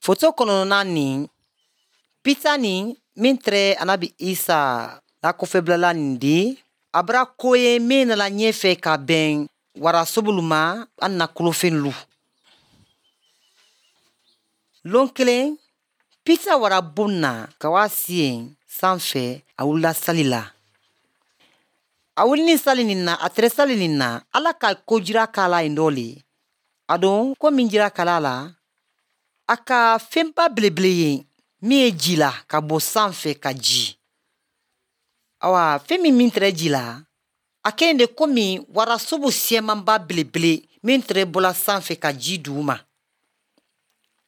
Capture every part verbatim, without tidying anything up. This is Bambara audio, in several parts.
Foto kɔnɔna nin, Pita nin min tɛrɛ anabi Isa la kɔfɛbilala nin di, a bara ko ye min nana ɲɛfɛ ka bɛn warasobolu ma an na kolofɛnlu. Lon kelen, Pita wara bon na ka wa si yen sanfɛ, a wulila sali la. A wulini sali nin na, a tɛrɛ sali nin na, Ala ka ko jira k'a la yen dɔ le. A don ko min jira k'a la, a ka fɛnba belebele ye min ye ji la ka bɔ sanfɛ ka ji. Awa, fɛn min min tɛrɛ ji la, a kɛlen de komi warasobo siyamanba belebele min tɛrɛ bɔla sanfɛ ka ji dugu ma.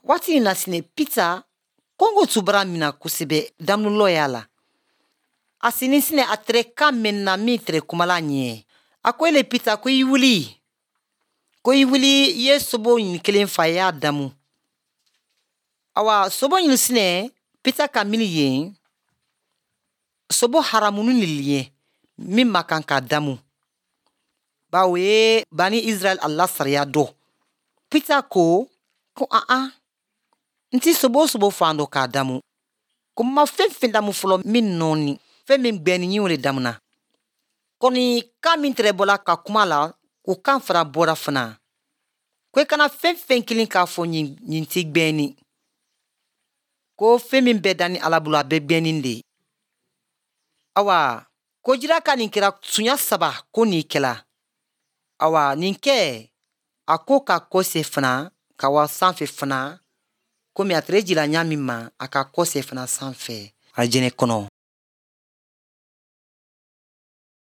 Waati in na sinɛ Pita kɔngɔ tun bara mina kosɛbɛ daminɛlɔ y'a la. A sini sinɛ a tɛrɛ kan mɛn na min tɛrɛ kumala ɲɛ. A ko ele Pita ko i wuli. Ko i wuli i ye sobo ɲin kelen fa i y'a damu. Awa sobo ɲin sinɛ Pita ka mini yen sobo haramunu ni ye min ma kan ka damu. Bawo ye bani Israɛl a la sariya dɔ. Pita ko ko an an n ti sobo sobo fan dɔ k'a damu. Ko n ma fɛn fɛn damu fɔlɔ min nɔɔni fɛn min gbɛni ɲin o de damuna. Kɔni kan min tɛrɛ bɔla ka kuma la o kan fana bɔra fana. Ko i kana fɛn fɛn kelen k'a fɔ ɲin ɲin ti gbɛni. Ko fɛn min bɛɛ danni Ala bolo a bɛɛ gbɛni de. Awa ko jira ka nin kɛra sunya saba ko nin kɛla. Awa nin kɛ a ko ka kɔse fana ka wa sanfɛ fana komi a tɛrɛ jira ɲa min ma a ka kɔse fana sanfɛ alijɛnɛ kɔnɔ.